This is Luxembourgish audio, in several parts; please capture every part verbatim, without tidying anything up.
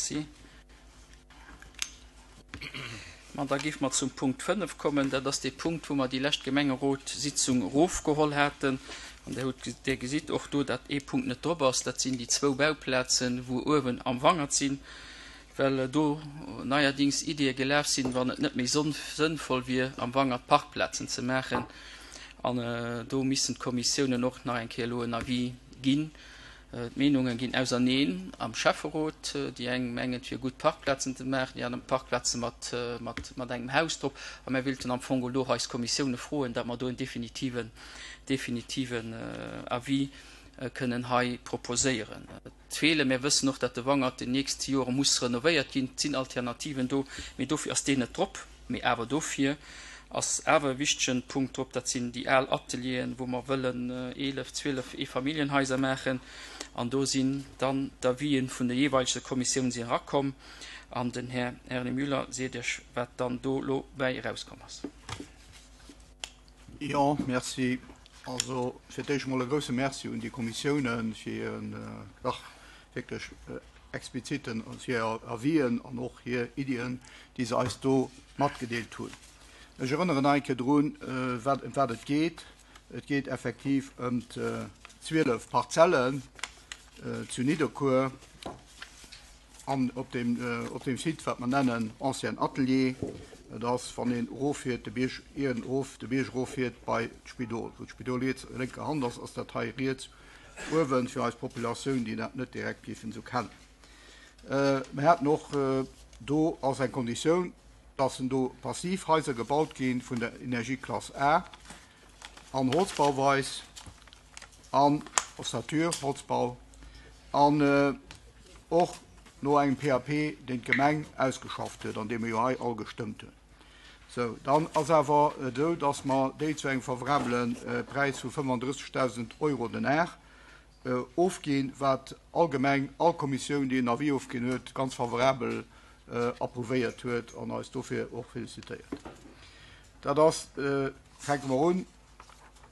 Merci. Ma da géife mer zum Punkt fënnef kommen. Dat ass dee Punkt, wou mer déi lescht Gemengerotssitzung erofgeholl haten. An Dir hutt, Dir gesitt och do, datt ee Punkt net drop ass. Dat sinn déi zwou Bauplazen, wou uewen am Wangert sinn, well do neierdings Ideeë gelaf sinn, wann et net méi sënnvoll wier, am Wangert Parkplazen ze maachen. An do missten d'Kommissiounen och nach eng Kéier elo en Avis ginn. D'Meenunge ginn auserneen am Schäfferot. Déi eng mengen, et wier gutt, Parkplazen ze maachen, déi aner Parkplaze mat, mat, mat engem Haus drop. A mir wéilten am Fong elo eis Kommissioune froen, datt mer do en definitiven, definitiven Avis kënnen hei proposéieren. Et feelen, mir wëssen och, datt de Wangert déi nächst Jore muss renovéiert ginn. Et sinn Alternativen do, mee dofir ass deen net drop. Mee awer dofir ass awer e wichtegen Punkt drop, dat sinn déi al Atelieren, wou mer wëllen eelef, zwielef Eefamilljenhaiser maachen. An do sinn dann d'Avisen vun de jeeweilege Kommissiounen sinn erakomm. An den Här Erny Müller seet Iech, wat dann do elo bäi erauskomm ass. Jo, merci. Also fir d'éischt emol e grouse Merci un déi Kommissiounen fir hiren dach wierklech expliziten, hir Avisen an och hir Iddien, déi se eis do matgedeelt hunn. Ech erënneren nach eng Kéier drun, wat, ëm wat et geet. Et geet effektiv ëm zwielef Parzellen zu Nidderkuer an op deem, op deem Site, wat mer nennen Ancien Atelier. Et ass, wann een eroffiert, de Bierg, ier erof, de Bierg eroffiert bei d'Spidol. Wou d'Spidol riets, lénker Hand ass, ass dat hei riets uewen, fir eis Populatioun, déi dat net direkt géifen esou kennen. Mer haten och do als eng Konditioun, dass en do passiv Haiser gebaut gi vun der Energieklass A an Holzbauweis an Ossature Holzbau an och no engem P A P, deen d'Gemeng ausgeschafft huet an dee mer jo hei all gestëmmt hunn. Sou, dann ass awer esou, dass mer déi zu engem favorabele Präis vu fënnefandrëssegdausend Euro den Ar ofginn, wat allgemeng all Kommissioun, déi en Avis ofginn huet, ganz favorabel approuvéiert huet an eis dofir och félicitéiert. Dat ass, fänke mer un,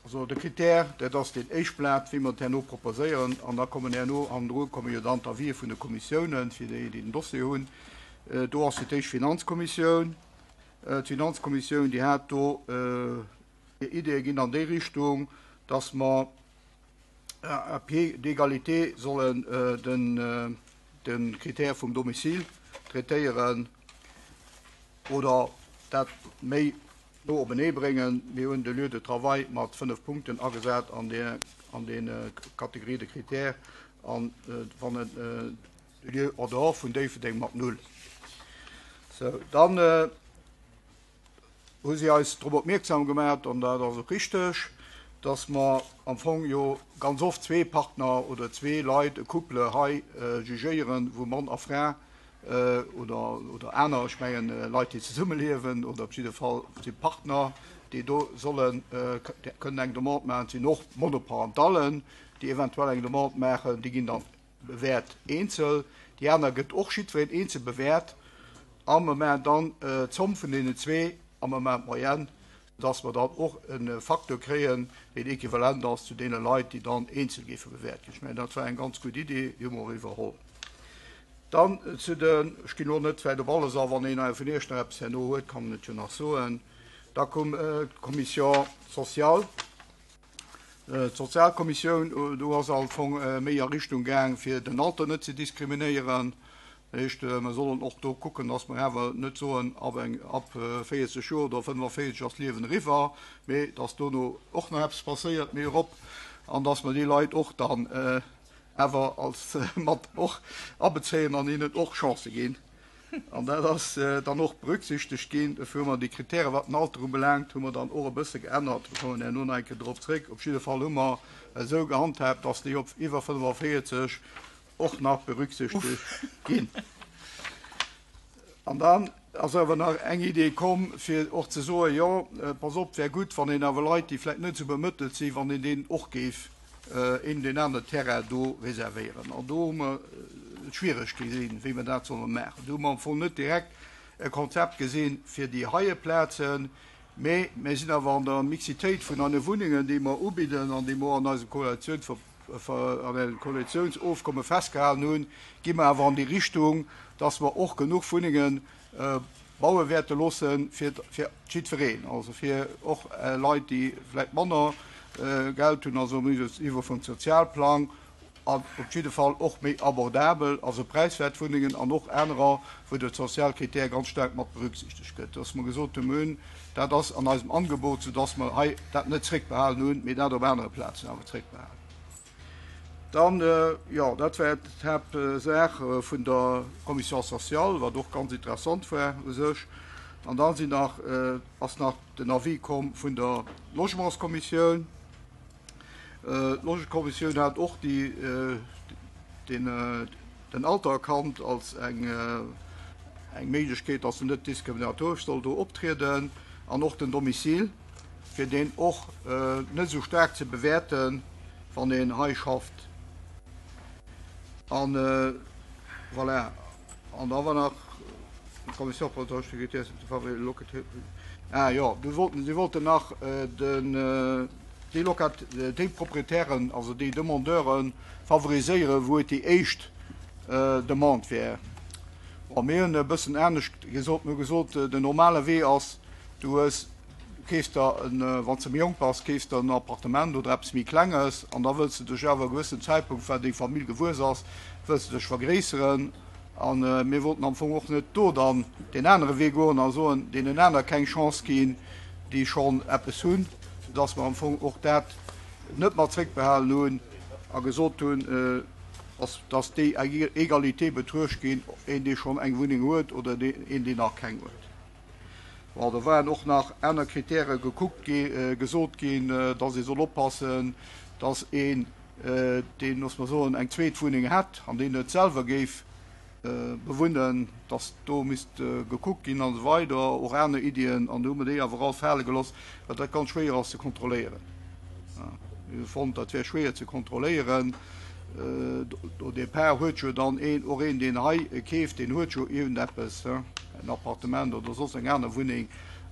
also de Critère, dat ass deen éischt Blat, wéi mer et herno proposéieren, an da kommen herno hannendru komme jo dann d'Avisë vun de Kommissiounen, fir déi, déi den Dossier hunn. Do ass fir d'éischt d'Finanzkommissioun. D'Finanzkommissioun, déi hat do hir Ideeë ginn an déi Richtung, dass mer à pied d'égalité sollen den de Critère vum Domicile traitéieren oder dat méi no openee bréngen. Mir hunn de Lieu de travail mat fënnef Punkten agesat an der an den Catégorie de critères an wann en de Lieu en dehors vun Déifferdeng mat null. Sou, dann hu si eis drop opmierksam gemaach, an dat ass och richteg, dass mer am Fong jo ganz oft zwee Partner oder zwee Leit, e Couple hei jugéieren, wou Mann a Fra oder, oder aner, ech mengen Leit, déi zesummeliewen oder op jidde Fall si Partner, déi do sollen, kënnen eng Demande maachen. Et sinn och Monoparentallen, déi eventuell eng Demande maachen, déi ginn dann bewäert eenzel. Déi aner gëtt och jiddwereen eenzel bewäert a mer maachen dann d'Zomm vun deenen zwee a mer maachen d'Moyenne, dass mer dann och e Facteur kréien, deen equivalent ass zu deene Leit, déi dann eenzel géife bewäert ginn. Ech mengen, dat war eng ganz gutt Idee, déi hu mer och iwwerholl. Dann zu den, ech ginn elo net vläicht op alles a, wann een vun Iech nach eppes herno huet, kann en et jo nach soen. Da koum d'Commission sociale. D'Sozialkommissioun, do ass am Fong méi a Richtung gaang, fir den Alter net ze diskriminéieren. Dat heescht, mer sollen och do kucken, dass mer awer net soen, ab eng, ab véierzeg Joer oder fënnefenvéierzeg ass d'Liewen eriwwer, mee dass dono och nach eppes passéiert méi erop an dass mer déi Leit och dann awer als mat och abezéien an hinnen och Chancë ginn. An dat ass dann och berücksichtegt ginn. Dofir hu mer déi Kritäre wat den Alter ubelaangt, hu mer dann och e bësse geännert. Mir kommen herno nach eng Kéier drop zréck. Op jidde Fall hu mer esou gehandhaabt, dass déi op iwwer fënnefenvéierzeg och nach berücksichtegt ginn. An dann ass awer nach eng Idee komm, fir och ze soen, jo, pass op, wär gutt, wann een awer Leit, déi vläicht net esou bemëttelt sinn, wann een deenen och géif een deen anere Terrain do reservéieren. An do hu mer et schwiereg gesinn, wéi mer dat solle maachen. Do hu mer am Fong net direkt e Konzept gesinn fir déi heie Plazen, mee mir sinn awer an der Mixitéit vun eine Wunnengen, déi mer ubidden an déi mer och an eisem Koalitionsver an engem Koalitiounsofkomme festgehalen hunn, gi mer awer an déi Richtung, dass mer och genuch Wunnenge baue wäerte loosse fir jiddwereen, also fir och Leit, déi vläicht manner Geld hunn, also um Niveau vum Sozialplang, an op jidde Fall och méi abordabel, also präiswäert Wunnengen an och anerer, wou de Sozialkritär ganz staark mat berücksichtegt gëtt. Dass mer gesot hunn, dat ass an eisem Angebot, soudass mer hei dat net zréckbehalen hunn, mee dat op anere Plazen awer zréckbehalen. Dann, jo, dat war d'Haaptsaach vun der Commission sociale, wat och ganz interessant war u sech. An dann sinn nach, ass nach den Avis komm vun der Logementskommissioun. D'Logementskommissioun hat och déi, den, den Alter erkannt als eng, eng Méiglechkeet, dass en net diskriminatoresch soll do optrieden, an och den Domicile, fir deen och net esou staark ze bewäerten, wann een hei schafft. An voilà. An da war nach d'Commission pour la sécurité locative. Ah jo, du wollten, si wollten nach den, déi Locat, déi Proprietären, also déi Demandeuren favoriséieren, wou et déi éischt Demande wär. Bon, mir hunn e bëssen anescht gesot. Mir hu gesot, den normale Wee ass, du hues, keefs der en, wann s de méi jonk bass, keefs der en Appartement oder eppes méi Klenges an da wëlls de dech awer e gewëssen Zäitpunkt, well deng Famill gewuess ass, wëlls de dech vergréisseren. An mir wollten am Fong och net do dann deen anere Wee goen a soen, deenen aner keng Chance ginn, déi schonn eppes hunn, soudass mer am Fong och dat net mat zréckbehalen hunn a gesot hunn, dass, dass déi Egalité betruecht ginn, een, dee schonn eng Wunneng huet oder een, deen nach keng huet. Bon, do waren och nach aner Kritäre gekuckt gi, gesot ginn, dass ee soll oppassen, dass een, deen, loosse mer soen, eng zweet Wunneng hätt an deen net selwer géif bewunnen, dass do misst gekuckt ginn an esou weider, och aner Iddien, an do hu mer déi awer all fale gelooss, well dat ganz schwéier ass ze kontrolléieren. Mir hu fonnt, dat wär schwéier ze kontrolléieren. Au départ huet jo dann een, och een, deen hei keeft, deen huet jo iergendeppes, en Appartement oder soss eng aner Wunneng,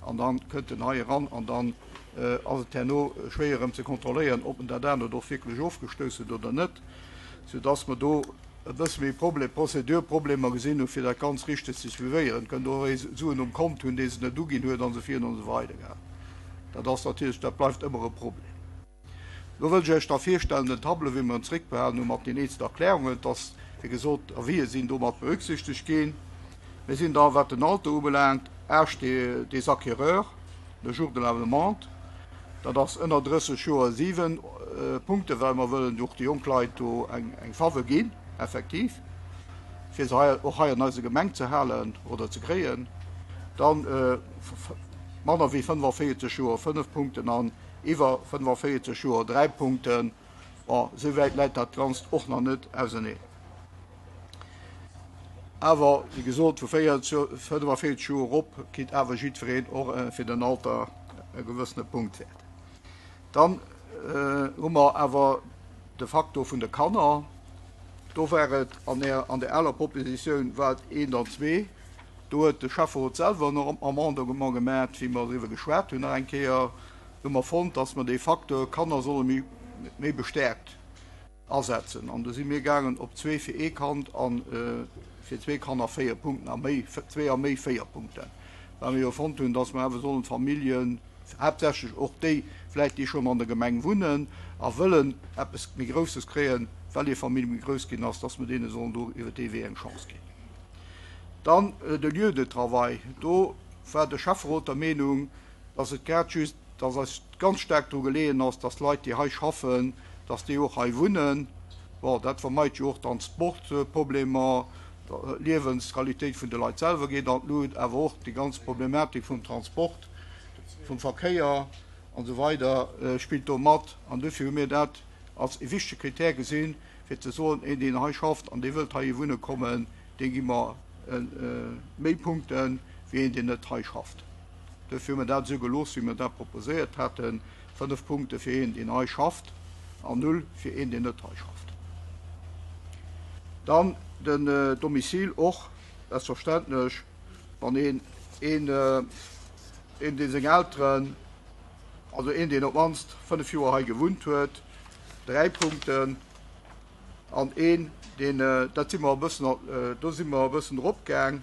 an da kënnt en hei eran an dann ass et herno schwéier erëm ze kontrolléieren, ob en dat anert och wierklech ofgestouss huet oder net, soudass mer do e bësse méi Problem, Prozedurproblemer gesinn hu fir dat ganz richteg ze suivéieren. Et kënnt och ee Suen um Kont hunn, dee se net uginn huet an esou virun an esou weider. Dat ass natierlech, dat bleift ëmmer e Problem. Lo wëll ech Iech da virstellen den Tableau, wéi mer en zréckbehalen hu mat den eenzelen Erklärungen, dass, wéi gesot, Avisë sinn domat berücksichtegt ginn. Mir sinn da, wat den Alter ubelaangt, Âge des, des acquéreurs le jour de la demande, dat ass ënner drësseg Joer siwen Punkte, well mer wëllen och de jonk Leit do eng, eng Faveur ginn, effektiv, fir se hei, och hei an eiser Gemeng ze halen oder ze kréien. Dann manner wéi fënnefenvéierzeg Joer fënnef Punkten an iwwer fënnefenvéierzeg Joer dräi Punkten. Bon, esou wäit läit dat Ganzt och nach net auserneen. Awer, wéi gesot, vu fënnefenvéierzeg Joer erop kritt awer jiddwereen och fir den Alter e gewëssene Punktwäert. Dann hu mer awer de Faktor vun de Kanner. Do war et an der, an der aler Propositioun war et eent an zwee. Do huet de Schäfferot selwer nach Amendement gemaach, wéi mer driwwer geschwat hunn nach eng Kéier. Do hu mer fonnt, dass mer dee Facteur Kanner solle méi, méi bestärkt asetzen. An do si mir gaangen op zwee fir ee Kand an fir zwee Kanner véier Punkten a méi, zwee a méi véier Punkten. Well mir jo fonnt hunn, dass mer awer sollen d'Familljen, haaptsächlech och déi vläicht, déi schonn an der Gemeng wunnen a wëllen eppes méi Grousses kréien, well hir Famill méi grouss ginn ass, dass mer deene sollen do iwwer dee Wee eng Chance ginn. Dann de Lieu de travail. Do war de Schäfferot der Meenung, dass et grad just, dass eis ganz staark dru geleeën ass, dass Leit, déi hei schaffen, dass déi och hei wunnen. Bon, dat vermeit jo och Transportproblemer, d'Liewensqualitéit vun de Leit selwer geet an d'Lut, awer och déi ganz Problematik vum Transport, vum Verkéier an esou weider spillt do mat. An dofir hu mir dat als e wichtege Kritär gesinn, fir ze soen, een, deen hei schafft an dee wëllt hei wunne kommen, dee gi mer méi Punkte wéi een, deen net hei schafft. Dofir hu mir dat esou gelooss, wéi mir dat proposéiert haten, fënnef Punkte fir een, deen hei schafft an null fir een, deen net hei schafft. Dann den Domicile och, selbstverständlech, wann een, een, een, dee seng Elteren, also een, deen op d'mannst fënnef Joer hei gewunnt huet, dräi Punkten an een, deen, dat si mer e bëssen, do si mer e bëssen eropgaang,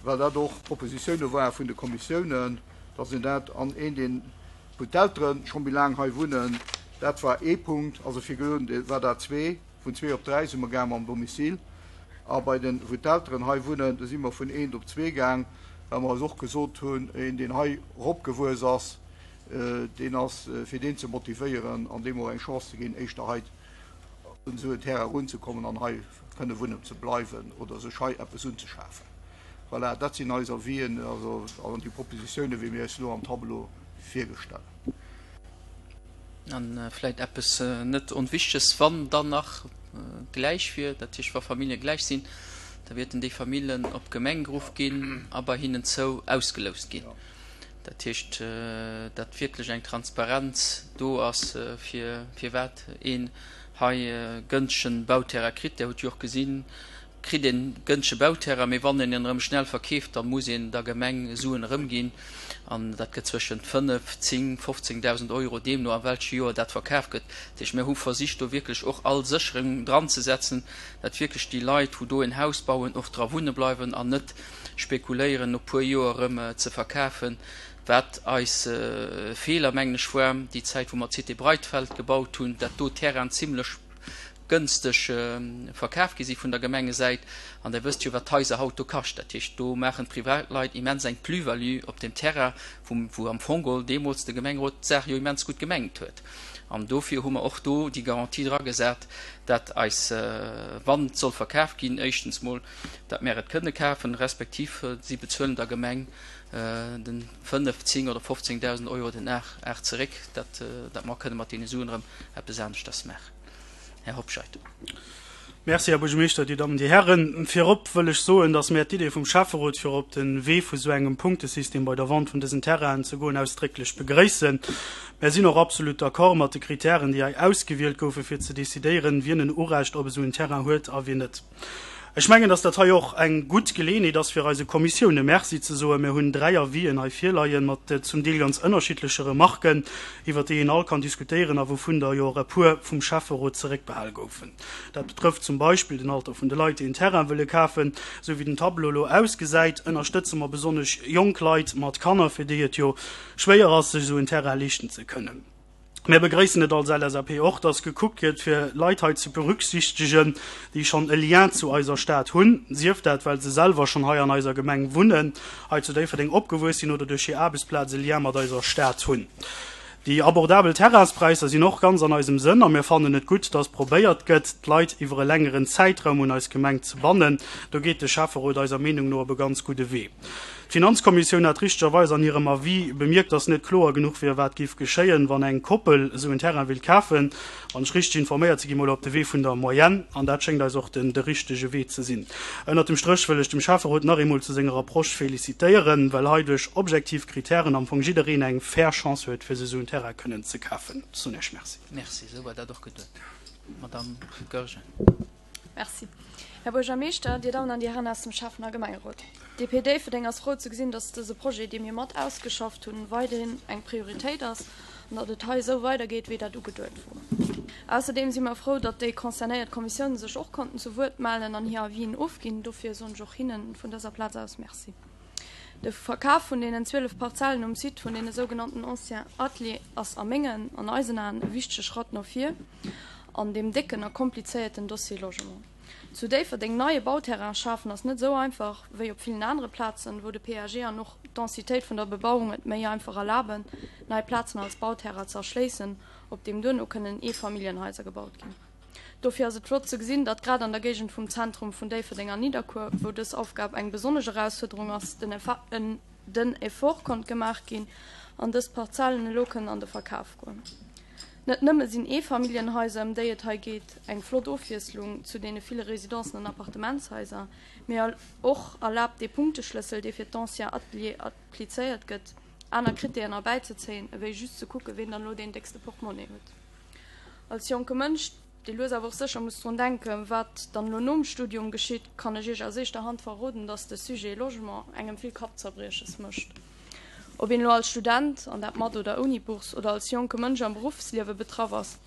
well dat och Propositioune ware vun de Kommissiounen, dass een dat an een, deen, wou d'Eltere scho méi laang hei wunnen, dat war ee Punkt, also virdrun war dat zwee, vun zwee op dräi si mer gaang mam Domicile. A bei den, wou d'Elteren hei wunnen, do si mer vun eent op zwee gaang, well mer eis och gesot hunn, een, deen hei eropgewuess ass, deen ass, fir deen ze motivéieren an deem och eng Chance ze ginn, éischter hei un esou en Terrain erunzekommen an hei kënne wunnen ze bleiwen oder sech hei eppes unzeschafen. Voilà, dat sinn eis Avisen, also an déi Propositiounen, wéi mir eis elo am Tableau virgestellen. A vläicht eppes net Onwichteges, Wann dann nach gläich wier, dat heescht wa Famillje gläich sinn, da wäerten déi Familljen op d'Gemeng geruff ginn a bei hinnen zou ausgeloust ginn. Dat heescht, datt wierklech eng Transparenz do ass, fir firwat een hei gënschtegen Bauterrain kritt. Där hutt jo och gesinn, kritt een gënschtege Bauterrain, mee wann een en erëm schnell verkeeft, da muss een der Gemeng Suen erëmginn an dat gëtt zwëschent fënnef, zéng, fofzéngdausend Euro, deemno a welche Joer dat verkaf gëtt. Dat heescht, mir hu versicht do wierklech och all Sécherung dranzesetzen, dat wierklech déi Leit, wou do en Haus bauen, och dra wunne bleiwen an net spekuléieren, no puer Joer erëm ze verkafen, wat eis Feeler, mengen ech, war déi Zäit, wou mer d'Cité Breitfeld gebaut hunn, dat do Terrainen zimlech gënsteg verkaf gi si vun der Gemengesäit. An Der wësst jo, wat d'Haiser haut do kascht. Dat heescht, do maachen d'Privatleit immens eng Plus-value op deem Terrain, wou, wou am Fong geholl deemools de Gemengerot d'Saach jo immens gutt gemengt huet. An dofir hu mer och do déi Garantie dragesat, dat eis, wann et soll verkaf ginn, éischtens mol, dat mär et kënne kafen, respektiv si bezuelen der Gemeng de fënnef, zéng oder fofzéngdausend Euro den Ar zeréck, dat, dat mer kënne mat deene Suen erëm eppes aneschters maachen. Här Hobscheit. Merci, Här Buergermeeschter, Dir Dammen, Dir Hären. Virop wëll ech soen, dass mär d'Idee vum Schäfferot, fir op de Wee vu sou engem Punktesystem bei der Vente vun dësen Terrainen ze goen, ausdrécklech begréissen. Mär sinn och absolut d'accord mat de Kritären, déi hei ausgewielt goufen, fir ze decidéieren, wien en Urecht op esou en Terrain huet a wien net. Ech mengen, dass dat hei och eng gutt Geleeënheet ass, fir eise Kommissioune Merci ze soen. Mir hunn dräi Avisen hei virleien, mat zum Deel ganz ënnerschiddleche Remarken, iwwert déi een all kann diskutéieren a wouvun der jo och e puer vum Schäfferot zeréckbehal goufen. Dat betrëfft zum Beispill den Alter vun de Leit, déi en Terrain wëlle kafen. Esou wéi den Tableau elo ausgesäit, ënnerstëtze mer besonnesch jonk Leit mat Kanner, fir déi et jo schwéier ass, sech esou en Terrain leeschten ze kënnen. Mir begréissen et als L S A P och, dass gekuckt gëtt, fir Leit hei ze berücksichtegen, déi schonn e Lien zu eiser Stad hunn, sief dat, well se selwer schonn hei an eiser Gemeng wunnen, hei zu Déifferdeng opgewuess sinn oder duerch hir Aarbechtsplaz e Lien mat eiser Stad hunn. Déi abordabel Terrainspräisser sinn och ganz an eisem Sënn a mir fannen et gutt, dass probéiert gëtt, d'Leit iwwer e längeren Zäitraum un eis Gemeng ze bannen. Do geet de Schäfferot eiser Meenung no op e ganz gudde Wee. D'Finanzkommissioun hat richtegerweis an hirem Avis bemierkt, dass net kloer genuch wier, wat géif geschéien, wann eng Koppel esou en Terrain wéilt kafen. Wann ech richteg informéiert sinn, gi mer elo op de Wee vun der Moyenne, an dat schéngt eis och den de richtege Wee ze sinn. Ënnert dem Stréch wëll ech dem Schäfferot nach eemol zu senger Approche félicitéieren, well hei duerch objektiv Kritären am Fong jiddereen eng fair Chance huet, fir sech esou en Terrain kënnen ze kafen. Ech soen Iech Merci. Merci, esou war dat och geduet. Madamm Goergen. Merci. Här Buergermeeschter, Dir Dammen an Dir Hären aus dem Schäffen a Gemengerot. D P Déifferdeng ass frou ze gesinn, dass dëse Projet, dee mir mat ausgeschafft hunn, weiderhin eng Prioritéit ass an datt et hei esou weidergeet, wéi dat ugeduet wor. Ausserdeem si mer frou, datt déi concernéiert Kommissiounen sech och konnten zu Wuert mellen an hir Avisen ofginn. Dofir soen ech och hinnen vun dëser Plaz aus Merci. De Verkaf vun deenen zwielef Parzellen um Site vun deene sougenannten Anciens Ateliers ass a mengen an eisen Aen e wichtege Schratt no vir an deem décken a komplizéierten Dossier Logement. Zu Déifferdeng neie Bauterrain schafen ass net esou einfach wéi op villen anere Plazen, wou de P A G an och d'Densitéit vun der Bebauung et méi einfach erlaben, nei Plazen als Bauterrain ze erschléissen, op deem duerno kënnen Eefamilljenhaiser gebaut ginn. Dofir ass et flott ze gesinn, datt grad an der Géigend vum Zentrum vun Déifferdeng an Nidderkuer, wou dës Aufgab eng besonnesch Erausfuerderung ass, den den Effort konnt gemaach ginn an dës Parzellen elo kënnen an de Verkaf goen. Net nëmme sinn Eefamilljenhaiser, ëm déi et hei geet, eng flott Ofwiesslung zu deene ville Residenzen an Appartementshaiser, mee och erlaabt dee Punkteschlëssel, dee fir d'ancien Atelier applizéiert gëtt, aner Kritären erbäizezéien, ewéi just ze kucken, wien dann elo deen déckste Portemonnaie huet. Als jonke Mënsch, dee lues awer och sécher muss drun denken, wat dann elo nom Studium geschitt, kann ech iech aus éischter Hand verroden, dass de Sujet Logement engem vill Kappzerbrieches mécht. Ob een elo als Student, an dat mat oder ouni Bourse, oder als jonke Mënsch am Beruffsliewe betraff ass,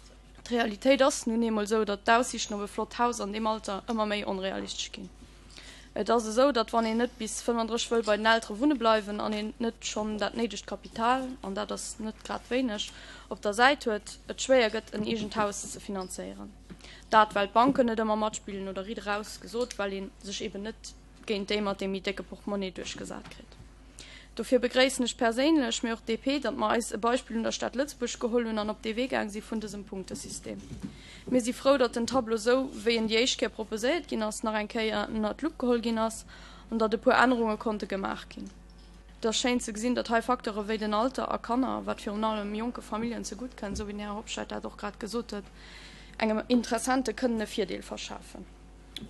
D'Realitéit ass nun eemol esou, datt d'Aussiichten op e flott Haus an deem Alter ëmmer méi onrealistesch ginn. Et ass esou, datt wann een net bis fënnfandrësseg wëll bei den Eltere wunne bleiwen an een net schonn dat néidegt Kapital, an dat ass net grad wéineg, op der Säit huet, et schwéier gëtt en eegent Haus ze finanzéieren. Dat well d'Banken net ëmmer matspillen oder riit eraus gesot, well ee sech eben net géint déi mat deem méi décke Portmonnie duerchgesat kritt. Dofir begréissen ech perséinlech, mee och d'DP, datt mer eis e Beispill un der Stad Lëtzebuerg geholl hunn an op dee Wee gaang si vun dësem Punktesystem. Mir si frou, datt den Tableau esou, wéi en déi éischt Kéier proposéiert ginn ass, nach eng Kéier ënnert d'Lupp geholl ginn ass an datt e puer Ännerunge konnte gemaach ginn. Et ass schéin ze gesinn, datt hei Facteure wéi den Alter a Kanner, wat virun allem jonke Familljen zegutt kënnt, esou wéi den Här Hobscheit dat och grad gesot huet, engem Interessente kënnen e Virdeel verschafen.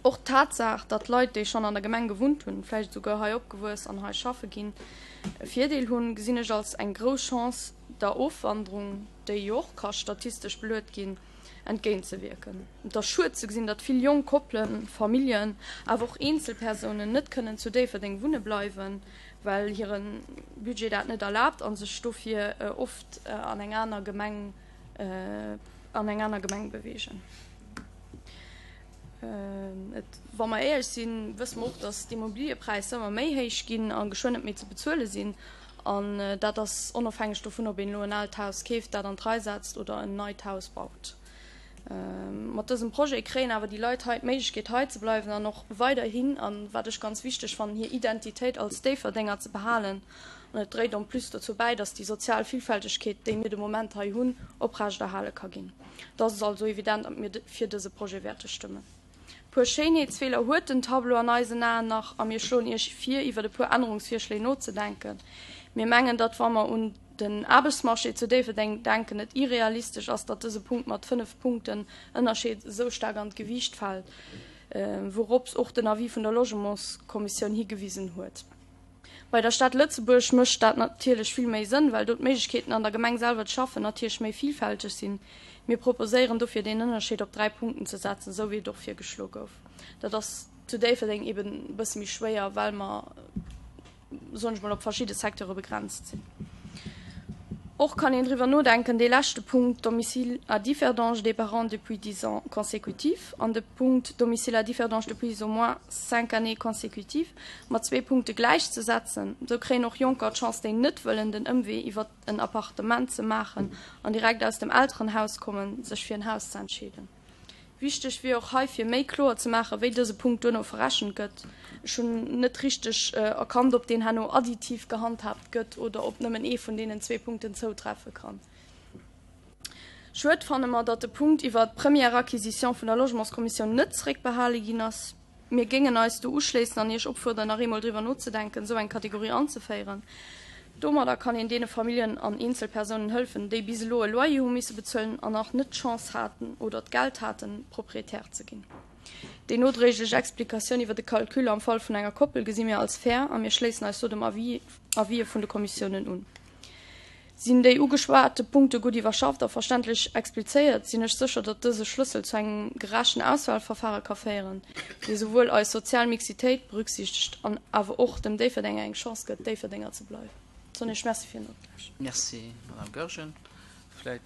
Och d'Tatsaach, datt Leit, déi schonn an der Gemeng gewunnt hunn, vläicht esouguer hei opgewuess an hei schaffe ginn, e Virdeel hunn, gesinn ech als eng grouss Chance, der Ofwanderung, déi jo och ka statistesch beluet ginn, entgéintzewierken. Et ass schued ze gesinn, datt vill jonk Koppelen, Familljen, awer och Eenzelpersounen net kënnen zu Déifferdeng wunne bleiwen, well hire Budget dat net erlaabt a sech dofir oft an eng aner Gemeng an eng aner Gemeng beweegen. Et, wa mer éierlech sinn, wësse mer och, datt d'Immobiliëpräisser ëmmer méi héich ginn a geschwënn net méi ze bezuele sinn. An dat ass onofhängeg dovun, ob een elo en aalt Haus keeft, dat an d'Rei setzt oder en neit Haus baut. Mat dësem Projet kréien awer déi Leit hei d'Méiglechkeet, hei ze bleiwen an och weiderhin, an wat ech ganz wichteg fannen, hir Identitéit als Déifferdenger ze behalen. An et dréit en plus dozou bäi, datt déi sozial Villfältegkeet, déi mir de Moment hei hunn, oprechterhale ka ginn. Et ass also evident, datt mir fir dëse Projet wäerte stëmmen. E puer Schéinheetsfeeler huet den Tableau an eisen Aen nach a mir schloen Iech vir, iwwer e puer Ännerungsvirschléi nozedenken. Mir mengen, datt, wa mer un den Aarbechtsmarché zu Déifferdeng denken, et irrealistesch ass, datt dëse Punkt mat fënnef Punkten Ënnerscheed esou staark an d'Gewiicht fält, wourops och den Avis vun der Logementskommissioun higewisen huet. Bei der Stad Lëtzebuerg mécht dat natierlech vill méi Sënn, well do d'Méiglechkeeten an der Gemeng selwer ze schaffen natierlech méi villfälteg sinn. Mir proposéieren dofir deen Ënnerscheed op dräi Punkten ze setzen, esou wéi et och virgeschloe gouf. Dat ass zu Déifferdeng eben e bësse méi schwéier, well mer, soen ech mol, op verschidde Secteure begrenzt sinn. Och kann een driwwer nodenken, dee leschte Punkt Domicile à Differdange des parents depuis dix ans consécutifs an de Punkt Domicile à Differdange depuis au moins cinq années consécutives mat zwee Punkte gläichzesetzen. Esou kréien och Jonker d'Chance, déi net wëllen den Ëmwee iwwer en Appartement ze maachen an direkt aus dem Elterenhaus kommen, sech fir en Haus ze entscheeden. Wichteg wier och hei fir méi kloer ze maachen, wéi dëse Punkt duerno verrechent gëtt. Ech hunn net richteg erkannt, ob deen herno additiv gehandhaabt gëtt oder ob nëmmen ee vun deenen zwee Punkten zoutreffe kann. Schued fanne mer, datt de Punkt iwwert d'Première acquisition vun der Logementskommissioun net zeréckbehale ginn ass. Mir géingen eis do uschléissen an Iech opfuerderen, nach eemol driwwer nozedenken, esou eng Kategorie anzeféieren. Domadder kann een deene Familljen an Eenzelpersounen hëlfen, déi bis elo e Loyer hu misse bezuelen an nach net d'Chance haten oder d'Geld haten, Proprietär ze ginn. Déi nodréiglech Explikatioun iwwer de Calcul am Fall vun enger Koppel gesi mir als fair a mir schléissen eis do dem Avis Avisë vun de Kommissiounen un. Sinn déi ugeschwate Punkte gutt iwwerschafft a verständlech explizéiert, sinn ech sécher, datt dëse Schlëssel zu engem gerechten Auswahlverfahre ka féieren, dee souwuel eis sozial Mixitéit berücksichtegt an awer och dem Déifferdenger eng Chance gëtt, Déifferdenger ze bleiwen. Soen Iech Merci fir den Notlauschteren. Merci, Madame Goergen. Vläit,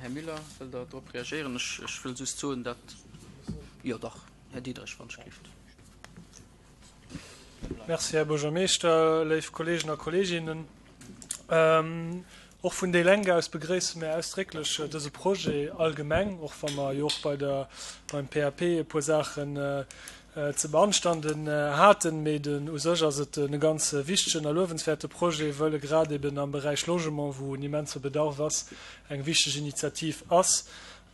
Här Müller, wëllt Der drop reagéieren? Ech, ech wëll just soen, datt, jo dach, Här Diderich, wann ech gelift. Merci, Här Buergermeeschter, léif Kolleegen a Kolleeginnen. Och vun déi Lenk aus begréisse mir ausdrécklech dëse Projet allgemeng, och wa mer jo och bei der, beim P A P e puer Saachen ze beanstanden haten. Mee den, u sech ass et e ganz wichtegen a luewenswäerte Projet, wëll e grad eben am Beräich Logement, wou en immense Bedarf ass, eng wichteg Initiativ ass.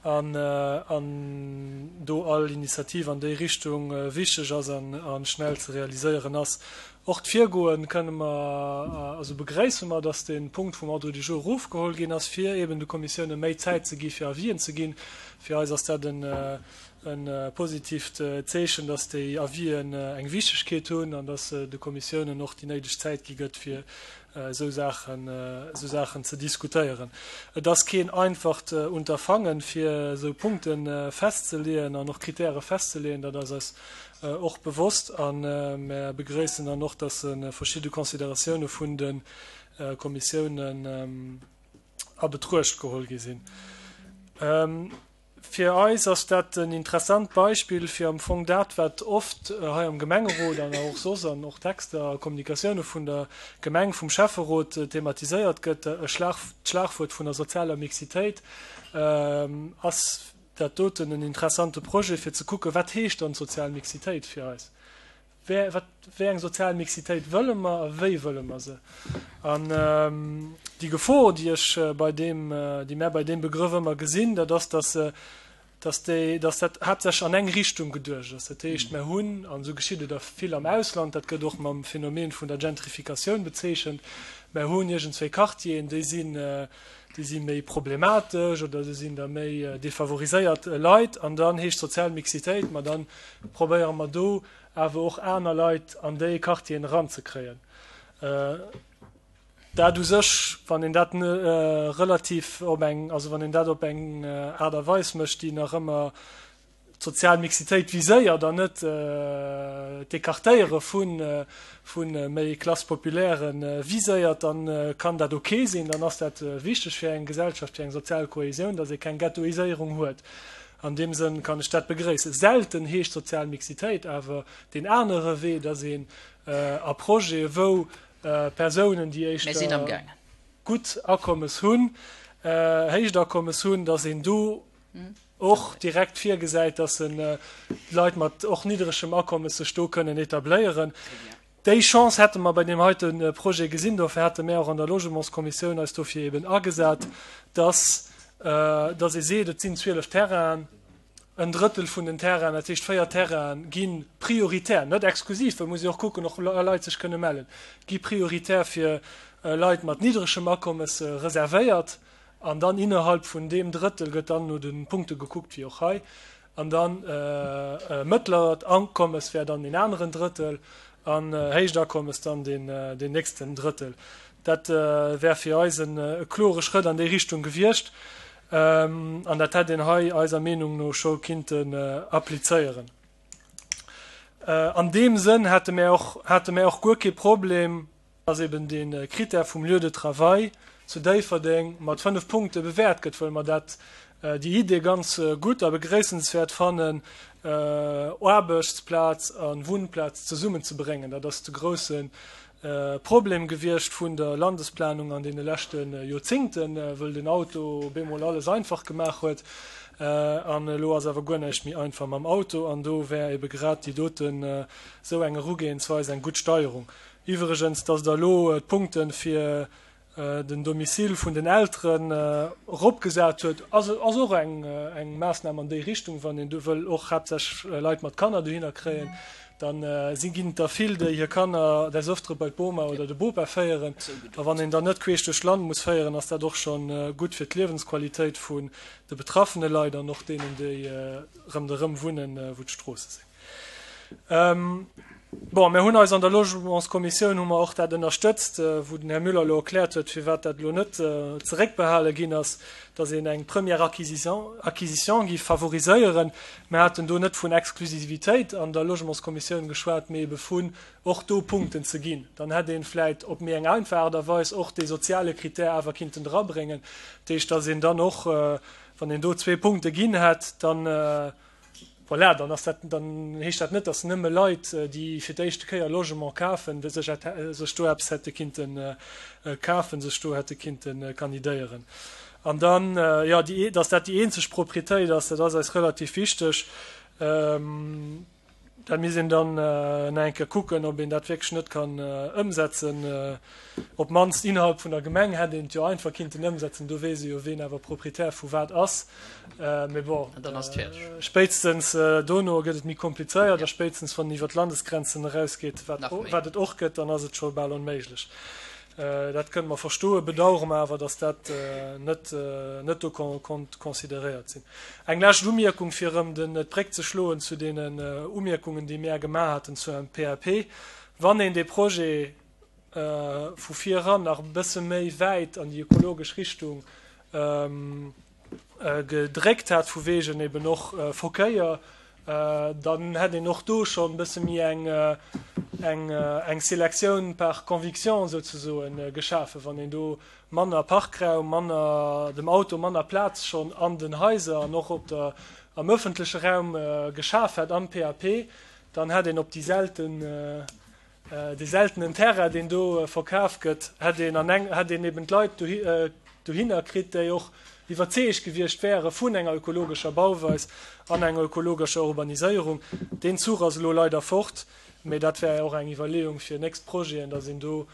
an an do all Initiativ an déi Richtung wichteg ass an a schnell ze realiséieren ass. Och d'Virgoe kënne mer, also begréisse mer, dass dee Punkt vum Ordre du jour erofgeholl ginn ass, fir eben de Kommissioune méi Zäit ze gi fir Avisen ze ginn. Fir eis ass dat en e positivt Zeechen, dass déi Avisen eng Wichtegkeet hunn an dass de Kommissiounen och déi néideg Zäit gi gëtt, fir esou Saachen, esou Saachen ze diskutéieren. Et ass keen einfacht Unterfangen, fir esou Punkte festzeleeën an och Kritäre festzeleeën. Dat ass eis och bewosst a mer begréissen dann och, dass verschidde Consideratioune vun de Kommissiounen a Betruecht geholl gi sinn. Fir eis ass dat en interessant Beispill fir am Fong dat, wat oft hei am Gemengerot an och soss an och Texter a Kommunikatioune vun der Gemeng, vum Schäfferot thematiséiert gëtt, e Schlag, d'Schlagwuert vun der sozialer Mixitéit, ass dat doten en interessante Projet fir ze kucken, wat heescht dann d'sozial Mixitéit fir eis? Wéi, wat, wéi eng sozial Mixitéit wëlle mer a wéi wëlle mer se? An déi Gefor, déi ech bei deem, déi mär bei deem Begrëff ëmmer gesinn, dat ass, dass, dass déi, dass dat haaptsächlech an eng Richtung geduecht ass. Dat heescht, mär hunn, an esou geschitt et a vill am Ausland, dat gëtt och mam Phänomen vun der Gentrifikatioun bezeechent, mär hunn iergendzwéi Quartieren, déi sinn, déi si méi problematesch oder do sinn da méi defavoriséiert Leit, an dann heescht sozial Mixitéit, ma dann probéiere mer do awer och aner Leit an déi Quartieren eranzekréien. Dat u sech, wann een dat relativ op eng, also wann een dat op eng Aart a Weis mécht, déi nach ëmmer d'sozial Mixitéit viséiert an net d'Ecartéiere vu méi Classe populaire viséiert, da kann dat ok sinn. Dann ass dat wichteg fir eng Gesellschaft, fir eng sozial Kohesioun, datt ee keng Ghettoiséierung huet. An deem Sënn kann ech dat begréissen. Selten heescht sozial Mixitéit awer deen anere Wee, dass een a Projete wou Persounen, déi éischter gutt Akommes hunn, héicht Akommes hunn, dass een do och direkt virgesäit, dass Leit mat och niddregem Akommes sech do kënnen etabléieren. Déi Chance hätte mer bei deem heite Projet gesinn. Dofir hate mär och an der Logementskommissioun eis dofir eben agesat, dass, dass ee seet, et sinn zwielef Terrainen, en Drëttel vun den Terrainen, dat heescht véier Terrainen, gi prioritär, net exklusiv, well muss ee och kucken, och Leit sech kënne mellen, gi prioritär fir Leit mat niddregem Akommes reservéiert. An dann innerhalb vun deem Drëttel gëtt dann no de Punkte gekuckt, wéi och hei. An dann mëttlert Akommes wär dann deen aneren Drëttel an héicht Akommes dann deen nächsten Drëttel. Dat wär fir eis e klore Schrëtt an déi Richtung gewiescht an dat hätt een hei eiser Meenung no scho kinnten applizéieren. An deem Sënn hätte mär och, hate mär och guer kee Problem, dass eben dee Critère vum Lieu de travail zu Déifferdeng mat fënnef Punkte bewäert gëtt, wëll mer dat, déi Idee ganz gutt a begréissenswäert fannen, Aarbechtsplaz a Wunnplaz zesummenzebréngen. Dat ass de grousse Problem gewiescht vun der Landesplanung an deene leschte Joerzingten, wëll den Auto op eemol alles einfach gemaach huet. An elo ass awer guer näischt méi einfach mam Auto. An do wär ebe grad déi doten, esou eng Erugehensweis eng gutt Steierung. Iwwregens, dass Der elo d'Punkte fir den Domicile vun den Elteren eropgesat huet, ass och eng Maassnam an déi Richtung. Wann een do wëll och haaptsächlech Leit mat Kanner dohinner kréien, da si ginn et der vill, déi hir Kanner des Öfteren bei d'Boma oder de Bopa féieren. A wann een dann net queesch duerch d'Land muss féieren, ass dat och scho gutt fir d'Liewensqualitéit vun de betraffene Leit an och deenen, déi ronderëm wunnen, wou d'Stroosse sinn. Bon, mir hunn eis an der Logementskommissioun hu mer och dat ënnerstëtzt, wou den Här Müller elo erkläert huet, firwat dat elo net zeréckbehale ginn ass, dass een eng première acquisition, acquisition géif favoriséieren. Mir haten do net vun Exklusivitéit an der Logementskommissioun geschwat, mee ebe vun och do Punkten ze ginn. Dann hätt ee vläicht op méi eng einfach Aart a Weis och dee soziale Critère awer kinnten drabréngen. Dat heescht, dass een dann och, wann een do zwee Punkte ginn hätt, dann, Voilà, dann ass dat, dann heescht dat net, datt nëmme Leit, déi fir d'éischte Kéier Logement kafen, sech sech do eppes hätte kinnte kafen, sech do hätte kinnte kandidéieren. An dann, jo, déi, datt dat déi eenzeg Proprietéit ass, dat ass eis relativ wichteg. Dat misst een dann nach eng Kéier kucken, ob een dat wierklech net kann ëmsetzen. Op d'mannst innerhalb vun der Gemeng hätt een et jo einfach kinnten ëmsetzen, do weess ee jo, ween awer Proprietär vu wat ass. Mee bon, spéitstens dono gëtt et méi komplizéiert a spéitstens wann een iwwer d'Landesgrenzen erausgeet, wat et och gëtt, dann ass et scho bal onméiglech. Dat kënne mer verstoen, bedauere mer awer, datt dat net net do konnt consideréiert sinn. Eng lescht Umierkung, fir erëm den d'Bréck ze schloen zu deenen Umierkungen, déi mär gemaach haten zu M P A P. Wann een dee Projet vu vir eran nach e bësse méi wäit an déi ökologesch Richtung gedréckt hat, vu wegen eben och Verkéier, Dann hätt een och do schonn e bësse méi eng, eng, eng Selektioun par conviction souzesoen geschafen, wann een do manner Parkraum, manner dem Auto manner Plaz schonn an den Haiser an och op der, am öffentleche Raum geschaf hätt am P A P, dann hätt een op déi selten, dee seltenen Terrain, deen do verkaf gëtt, hätt een an eng, hätt een eben d'Leit dohinner kritt, déi och iwwerzeegt gewiescht wäre vun enger ökologescher Bauweis an enger ökologescher Urbaniséierung. Deen Zuch ass elo leider fort, mee dat wär och eng Iwwerleeung fir nächst Projeten, dass een do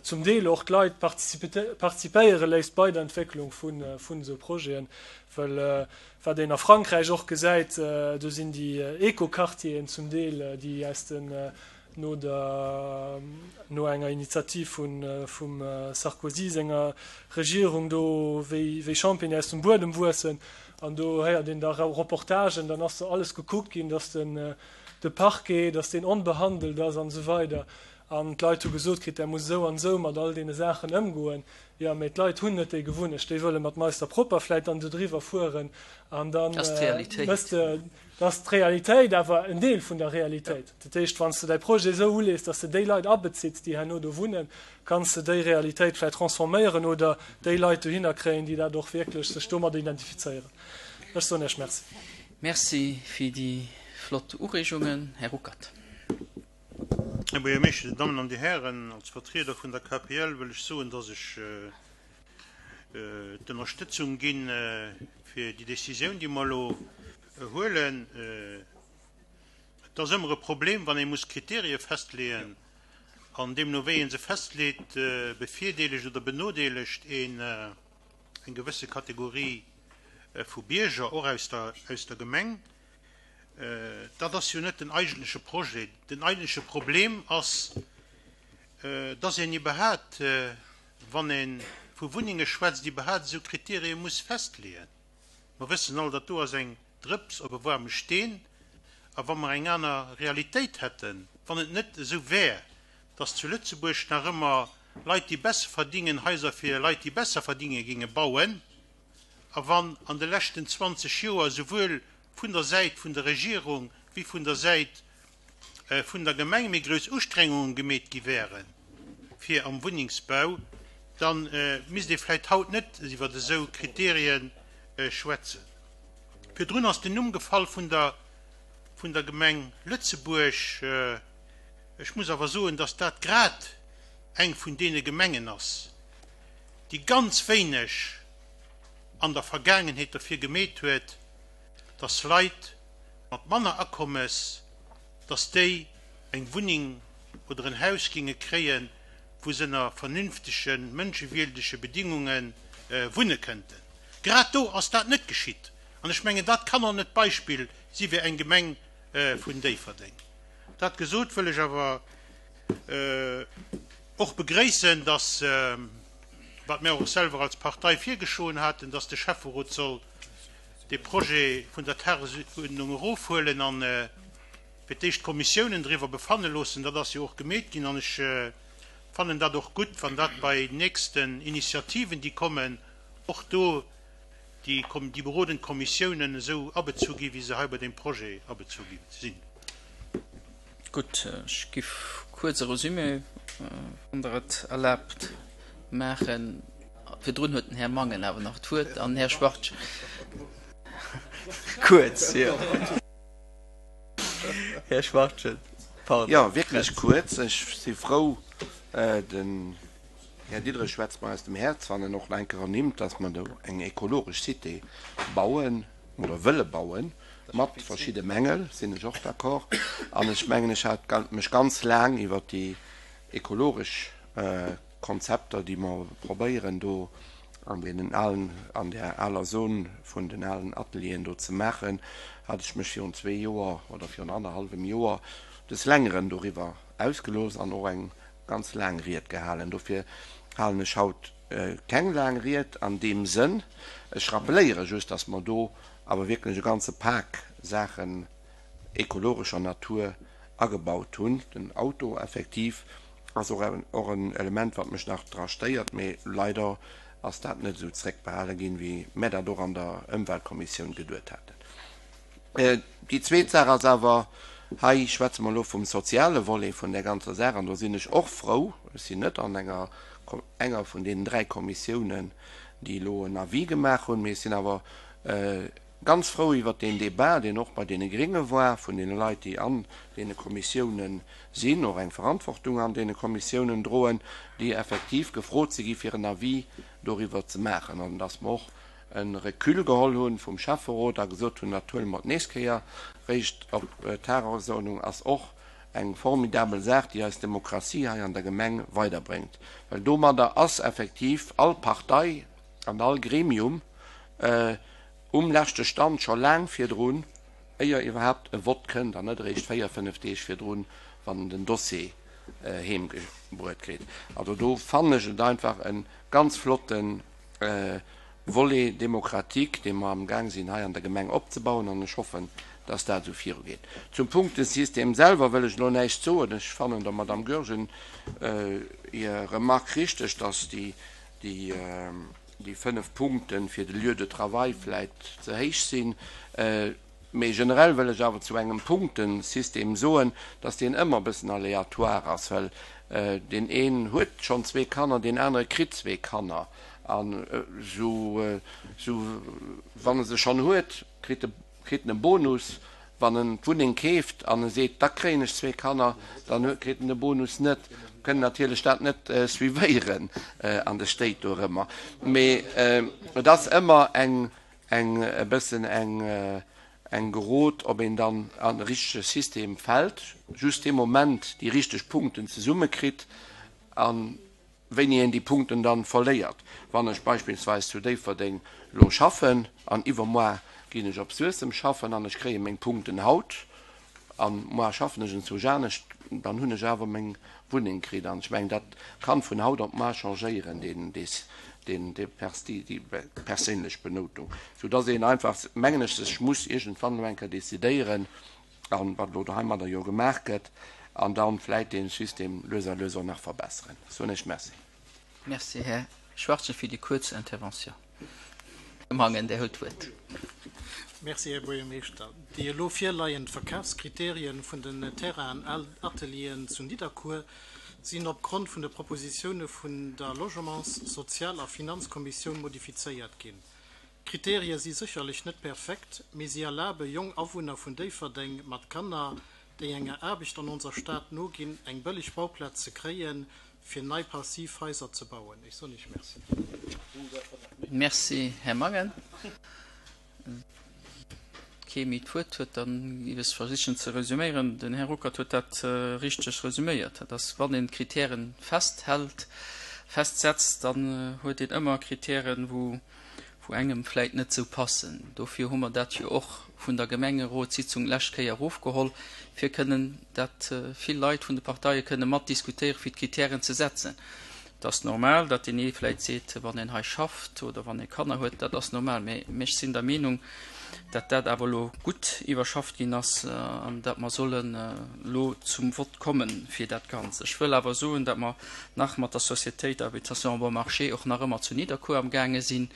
zum Deel och d'Leit participéiere léisst bei der Entwécklung vun esou Projeten, well wat een a Frankräich och gesäit, do sinn déi Eco-Quartieren zum Deel, déi aus den, no der, no enger Initiativ vun, vum Sarkozy senger Regierung do wéi, wéi Champignonen aus dem Buedem wuessen an do héiert een da Reportagen, dann ass do alles gekuckt ginn, dass den, de Parquet, dass deen onbehandelt ass an esou weider. An d'Leit hu gesot kritt, Der musst esou an esou mat all deene Saachen ëmgoen. Jo, mee d'Leit hunn net déi Gewunnecht. Déi wëlle mat Meister Propper vläicht dann do driwwer fueren an da mëss de, dat ass d'Realitéit, awer en Deel vun der Realitéit. Dat heescht, wann s de däi Projet esou ulees, dass de déi Leit abezitt, déi herno do wunnen, kanns de déi Realitéit vläicht transforméieren oder déi Leit dohinner kréien, déi dat och wierklech sech domadder identifizéieren. Ech soen Iech Merci. Merci fir déi flott Ureegungen, Här Ruckert. Här Buergermeeschter, Dir Dammen an Dir Hären, als Vertrieder vun der K P L wëll ech soen, dass ech d'Ënnerstëtzung gi fir déi Décisioun, déi mer elo huelen. Et ass ëmmer e Problem, wann ee muss Kriterie festleeën, an deemno wéi ee se festleet, bevirdeelegt oder benodeelegt een eng gewësse Kategorie vu Bierger, och aus der, aus der Gemeng. Dat ass jo net den eigentleche Projet. Den eigentleche Problem ass, dass een iwwerhaapt, wann ee vu Wunnenge schwätzt, iwwerhaapt esou Kriterie muss festleeën. Mer wëssen all, dat do ass eng Drëps op e waarme Steen. A wa mer eng aner Realitéit hätten, wann et net esou wär, dass zu Lëtzebuerg nach ëmmer Leit, déi besser verdingen, Haiser fir Leit, déi besser verdinge ginge bauen, a wann an de leschten zwanzeg Joer souwuel vun der Säit vun der Regierung wéi vun der Säit vun der Gemeng méi grouss Ustrengunge gemeet gi wäre fir am Wunnengsbau, da misst ee vläicht haut net iwwer esou Kriterien schwätzen. Virdrun ass den Numm gefall vun der vun der Gemeng Lëtzebuerg. Ech muss awer soen, dass dat grad eng vun deene Gemengen ass, déi ganz wéineg an der Vergaangenheet derfir gemeet huet, dass Leit mat manner Akommes, dass déi eng Wunneng oder en Haus ginge kréien, wou se ënner vernünftegen, mënschewierdege Bedingunge wunne kënnten. Grad do ass dat net geschitt. An ech mengen, dat kann och net d'Beispill si fir eng Gemeng vun Déifferdeng. Dat gesot, wëll ech awer och begréissen, dass, wat mir och selwer als Partei virgeschloen haten, dass de Schäfferot soll dee Projet vun der Tagesuerdnung erofhuelen an fir d'éischt d'Kommissiounen driwwer befanne loossen. Dat ass jo och gemeet ginn an ech fannen dat och gutt, wann dat bei nächsten Initiativen, déi kommen, och do déi déi berodend Kommissiounen esou abezu gi wéi se hei bei deem Projet abezu gi sinn. Gutt, ech giff kuerz e Resumé, wann Der et erlaabt, maachen. Virdrun huet den Här Mangen awer nach d'Wuert an den Här Schwartz. Kuerz, jo. Här Schwachtgen, pardon. Jo, wierklech kuerz. Ech si frou, den Här Diderich schwätzt mer aus dem Häerz, wann en och nach eng Kéier ernimmt, dass mer do eng ekologesch Cité bauen oder wëlle bauen, mat verschidde Mängel, sinn ech och d'accord. An ech mengen, ech hat mech ganz laang iwwert déi ekologesch Konzepter, déi mer probéieren do an deenen alen, an där aler Zon vun den alen Atelieren do ze maachen, hat ech mech virun zwee Joer oder virun annerhallwem Joer des Längeren doriwwer ausgelooss an och eng ganz laang Ried gehalen. Dofir halen ech haut keng laang Ried an deem Sënn. Ech rappeléiere just, dass mer do awer wierklech e ganze Pak Saachen ekologescher Natur agebaut hunn. Den Auto effektiv ass och och en Element, wat mech nach dra stéiert, mee leider ass dat net esou zréckbehale ginn, wéi mär dat och an der Ëmweltkommissioun geduet haten. Déi zweet Saach ass awer, hei schwätze mer elo vum soziale Volet vun där ganzer Saach, an do sinn ech och frou, ech sinn net an enger enger vun deenen dräi Kommissiounen, déi elo en Avis gemaach hunn, mee ech sinn awer ganz frou iwwert deen Débat, deen och bei deene Grénge war, vun deene Leit, déi an deene Kommissiounen sinn, och eng Verantwortung an deene Kommissiounen droen, déi effektiv gefrot si gi fir en Avis doriwwer ze maachen, an dass mer och e Recul geholl hu vum Schäfferot a gesot hunn, dat huele mer d'nächst Kéier réischt op d'Tagesordnung, ass och eng formidabel Saach, déi eis Demokratie hei an der Gemeng weiderbréngt, well domadder ass effektiv all Partei an all Gremium um leschte Stand scho laang virdrun, éier iwwerhaapt e Vott kënnt, an net eréischt véier, fënnef Deeg virdrun, wann en den Dossier heemgebruet kritt. Also do fannen ech et einfach e ganz flotte Volet démocratique, dee mer amgaang sinn hei an der Gemeng opzebauen, an ech hoffen, dass dat esou virugeet. Zum Punktesystem selwer wëll ech elo näischt soen. Ech fannen der Madame Goergen hir Remarque richteg, dass déi fënnef Punkte fir de Lieu de travail vläit ze héich sinn. Mee generell wëll ech awer zu engem Punktesystem soen, dass deen ëmmer e bëssen aléatoire ass, well deen een huet schonn zwee Kanner, deen anere kritt zwee Kanner. An esou, esou wann e se schonn huet, kritt e, kritt en e Bonus. Wann en d'Wunneng keeft an e seet, da kréien ech zwee Kanner, dann huet, kritt en de Bonus net. Kënnen natierlech dat net suivéieren an de Stéit dorëmmer. Mee et ass ëmmer eng, eng, e bëssen eng, eng Gerot, ob een dann an de richtege System fält, just dee Moment déi richteg Punkten zesummekritt a wéini een déi Punkten dann verléiert. Wann ech beispillsweis zu Déifferdeng elo schaffen an iwwermoar ginn ech op Suessem schaffen an ech kréie meng Punkten haut an moar schaffen ech enzwousch anescht, dann hunn ech awer meng Wunneng kritt. An ech mengen, dat kann vun haut op moar changéieren, deen, deen, déi perséinlech Benoutung, soudass een einfach, mengen ech, sech muss iergendwann elo eng Kéier decidéieren, an wat elo heimadder jo gemaach gëtt, an dann vläit dee System lues a lues och nach verbesseren. Soen ech Merci. Merci, Här Schwachtgen, fir déi kuerz Intervention. Här Mangen, Dir hutt d'Wuert. Merci, Här Buergermeeschter. Déi elo virleiend Verkafskriterien vun den Terrainen an Atelieren zu Nidderkuer sinn opgrond vun de Propositioune vun der Logements-, Sozial a Finanzkommissioun modifizéiert ginn. D'Kriterie si sécherlech net perfekt, mee si erlabe jong Awunner vun Déifferdeng mat Kanner, déi enger Aarbecht an onser Stad noginn, eng bëlleg Bauplaz ze kréien, fir nei Passivhaiser ze bauen. Ech soen Iech Merci. Merci, Här Mangen. Kee méi d'Wuert huet, dann géif ech versichen ze resüméieren. Den Här Ruckert huet dat richteg resüméiert. Dat ass, wann een d'Kritären festhält, festsetzt, dann huet een ëmmer Kritären, wou wou engem vläit net esou passen. Dofir hu mer dat jo och vun der Gemengerotssitzung d'lescht Kéier erofgeholl, fir kënnen dat vill Leit vun de Parteie kënne mat diskutéieren, fir d'Kritären ze setzen. Et ass normal, datt deen ee vläit seet, wann een hei schafft oder wann ee Kanner huet, dat ass normal. Mä ech sinn der Meenung, datt dat awer elo gutt iwwerschafft ginn ass an datt mer sollen elo zum Vott komme fir dat Ganzt. Ech wëll awer soen, datt mer nach mat der Sociétéit Habitation Bon Marché och nach ëmmer zu Nidderkuer amgaange sinn,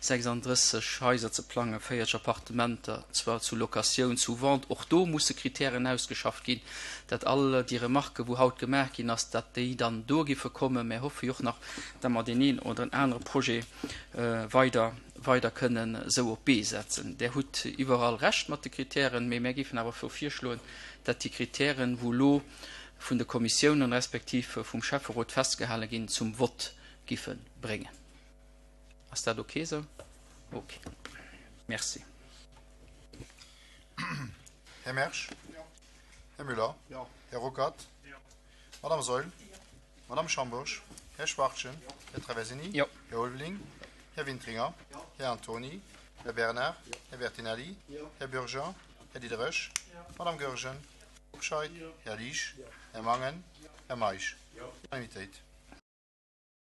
sechsanddrësseg Haiser ze plangen, véierzeg Appartementer, zwar zu Locatioun, zu Vente. Och do musse Kritären ausgeschafft ginn, datt all déi Remarquen, wou haut gemaach ginn ass, datt déi dann do giffe kommen. Mär hoffe jo och nach, datt mer deen een oder en anere Projet weider weider kënnen esou op d'Bee setzen. Där hutt iwwerall Recht mat de Kritären, mee mär géifen awer virschloen, datt déi Kritären, wou elo vun de Kommissiounen respektiv vum Schäfferot festgehale ginn, zum Vott giffe bréngen. Ass dat ok esou? Ok. Merci. Här Mersch? Jo. Här Müller? Jo. Här Ruckert? Jo. Madame Saeul? Jo. Madame Schambourg? Här Schwachtgen? Jo. Här Traversini? Jo. Här Ulveling? Här Wintringer? Jo. Här Antony? Här Bernard? Jo. Här Bertinelli? Jo. Här Bürger? Här Diderich? Jo. Madame Goergen? Jo. Hobscheit? Jo. Här Liesch? Jo. Här Mangen? Jo. Här Meisch? Jo. Unanimitéit.